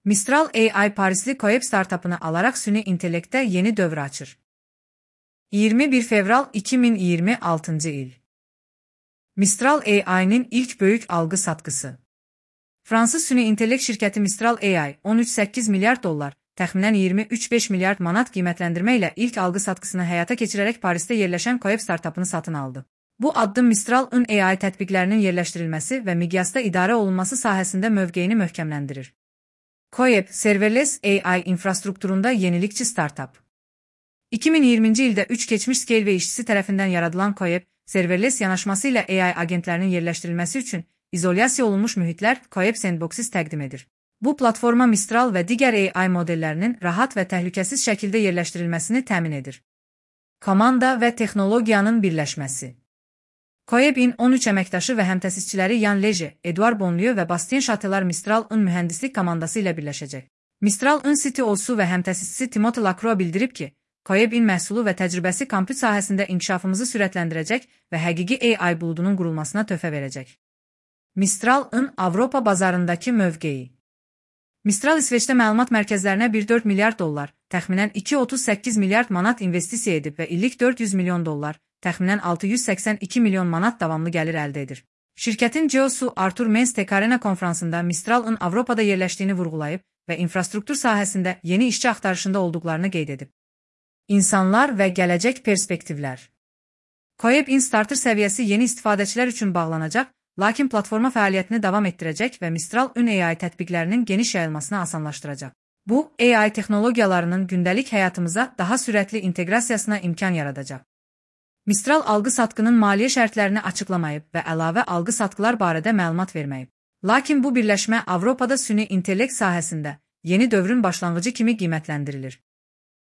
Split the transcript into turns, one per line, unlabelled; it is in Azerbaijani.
Mistral AI Parisli Coep startupını alarak süni intellektdə yeni dövr açır. 21 fevral 2026 il. Mistral AI'nin ilk böyük algı satqısı. Fransız süni intellekt şirkəti Mistral AI 13,8 milyard dollar, təxminən 23,5 milyard manat qiymətləndirmə ilə ilk algı satqısını həyata keçirərək Parisdə yerləşən Coep startupını satın aldı. Bu addım Mistral-ın AI tətbiqlərinin yerləşdirilməsi və miqyasda idarə olunması sahəsində mövqeyini möhkəmləndirir. Coep, serverless AI infrastrukturunda yenilikçi startup. 2020-ci ildə 3 keçmiş Scaleway işçisi tərəfindən yaradılan Coep, serverless yanaşması ilə AI agentlərinin yerləşdirilməsi üçün izolyasiya olunmuş mühitlər Coep Sandboxes təqdim edir. Bu platforma Mistral və digər AI modellərinin rahat və təhlükəsiz şəkildə yerləşdirilməsini təmin edir. Komanda və texnologiyanın birləşməsi. Coep'in 13 əməkdaşı və həmtəsisçiləri Yan Leje, Edouard Bonlieu və Bastien Chatelar Mistral-ın mühəndislik komandası ilə birləşəcək. Mistral-ın CTO-su və həmtəsisçisi Timothée Lacroix bildirib ki, Coep'in məhsulu və təcrübəsi kompüt sahəsində inkişafımızı sürətləndirəcək və həqiqi AI buludunun qurulmasına töhfə verəcək. Mistral-ın Avropa bazarındakı mövqeyi. Mistral İsveçdə məlumat mərkəzlərinə 1,4 milyard dollar, təxminən 2,38 milyard manat investisiya edib və illik 400 milyon dollar, təxminən 682 milyon manat davamlı gəlir əldə edir. Şirkətin CEO-su Artur Mens Tekarena konfransında Mistral-ın Avropada yerləşdiyini vurğulayıb və infrastruktur sahəsində yeni işçi axtarışında olduqlarını qeyd edib. İnsanlar və gələcək perspektivlər. Coep-in starter səviyyəsi yeni istifadəçilər üçün bağlanacaq, lakin platforma fəaliyyətini davam etdirəcək və Mistral-ın AI tətbiqlərinin geniş yayılmasını asanlaşdıracaq. Bu, AI texnologiyalarının gündəlik həyatımıza daha sürətli inteqrasiyasına imkan yaradacaq. Mistral algı satqının maliyyə şərtlərini açıqlamayıb və əlavə algı satqılar barədə məlumat verməyib. Lakin bu birləşmə Avropada süni intellekt sahəsində yeni dövrün başlanğıcı kimi qiymətləndirilir.